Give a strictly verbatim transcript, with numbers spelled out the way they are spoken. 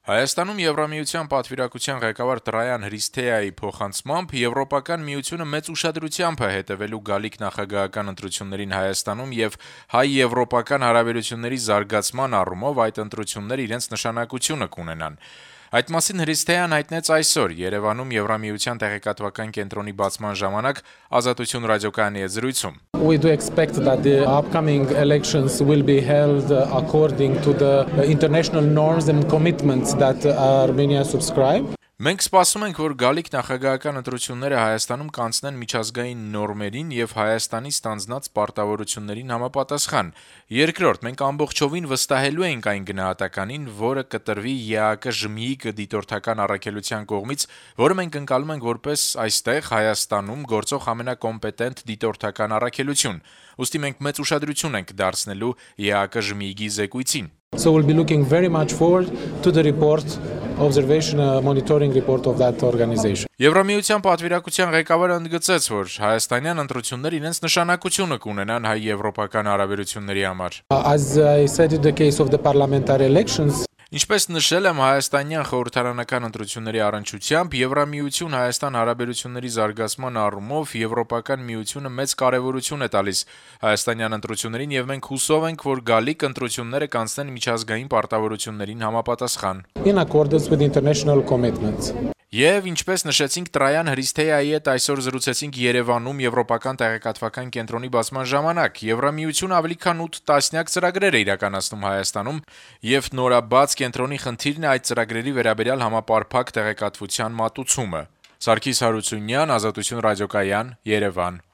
Հայաստանում Եվրամիության պատվիրակության ղեկավար Տրայան Հրիսթեայի փոխանցմամբ Եվրոպական միությունը մեծ ուշադրությամբ է հետևելու գալիք նախագահական ընտրություններին Հայաստանում եւ հայ-եվրոպական հարաբերությունների զարգացման առումով այդ ընտրությունները իրենց նշանակությունը կունենան։ Այդ մասին Հրիսթեան հայտնեց այսօր Երևանում Եվրամիության տեղեկատվական կենտրոնի բացման ժամանակ Ազատություն ռադիոկայանի հետ զրույցում։ We do expect that the upcoming elections will be held according to the international norms and commitments that Armenia subscribe. Մենք սպասում ենք, որ գալիք նախագահական ընտրությունները Հայաստանում կանցնեն միջազգային նորմերին եւ Հայաստանի ստանձնած պարտավորություններին համապատասխան։ Երկրորդ, մենք ամբողջովին վստահելու ենք այն գնահատականին, որը կտրվի ԵԱԿ-ԺՄԻ դիտորդական առաքելության կողմից, որը մենք ընկալում ենք որպես այստեղ Հայաստանում գործող ամենակոմպետենտ դիտորդական առաքելություն։ Ուստի մենք մեծ ուշադրություն ենք դարձնելու ԵԱԿ-ԺՄԻ զեկույցին։ So we'll be looking very much forward to the report, observation uh, monitoring report of that organization. Եվրամիության պատվիրակության ղեկավարը ընդգծեց, որ հայաստանյան ընտրությունները իրենց նշանակությունը կունենան հայ-եվրոպական հարաբերությունների համար։ As I said in the case of the parliamentary elections, Ինչպես նշել եմ, հայաստանյան խորհրդարանական ընտրությունների առնչությամբ Եվրամիություն-Հայաստան հարաբերությունների զարգացման առումով Եվրոպական միությունը մեծ կարևորություն է տալիս հայաստանյան ընտրություններին եւ մենք հուսով ենք, որ գալիք ընտրությունները կանցնեն միջազգային պարտավորություններին համապատասխան։ in accordance with international commitments. Եվ ինչպես նշեցինք Տրայան Հրիսթեայի հետ այսօր զրուցեցինք Երևանում Եվրոպական տեղեկատվական կենտրոնի բացման ժամանակ։ Եվրամիությունը ավելի քան ութ տասնյակ ծրագրեր է իրականացնում Հայաստանում եւ նորաբաց կենտրոնի խնդիրն է այդ ծրագրերի վերաբերյալ համապարփակ տեղեկատվության մատուցումը։ Սարգիս Հարությունյան, Ազատություն ռադիոկայան, Երևան։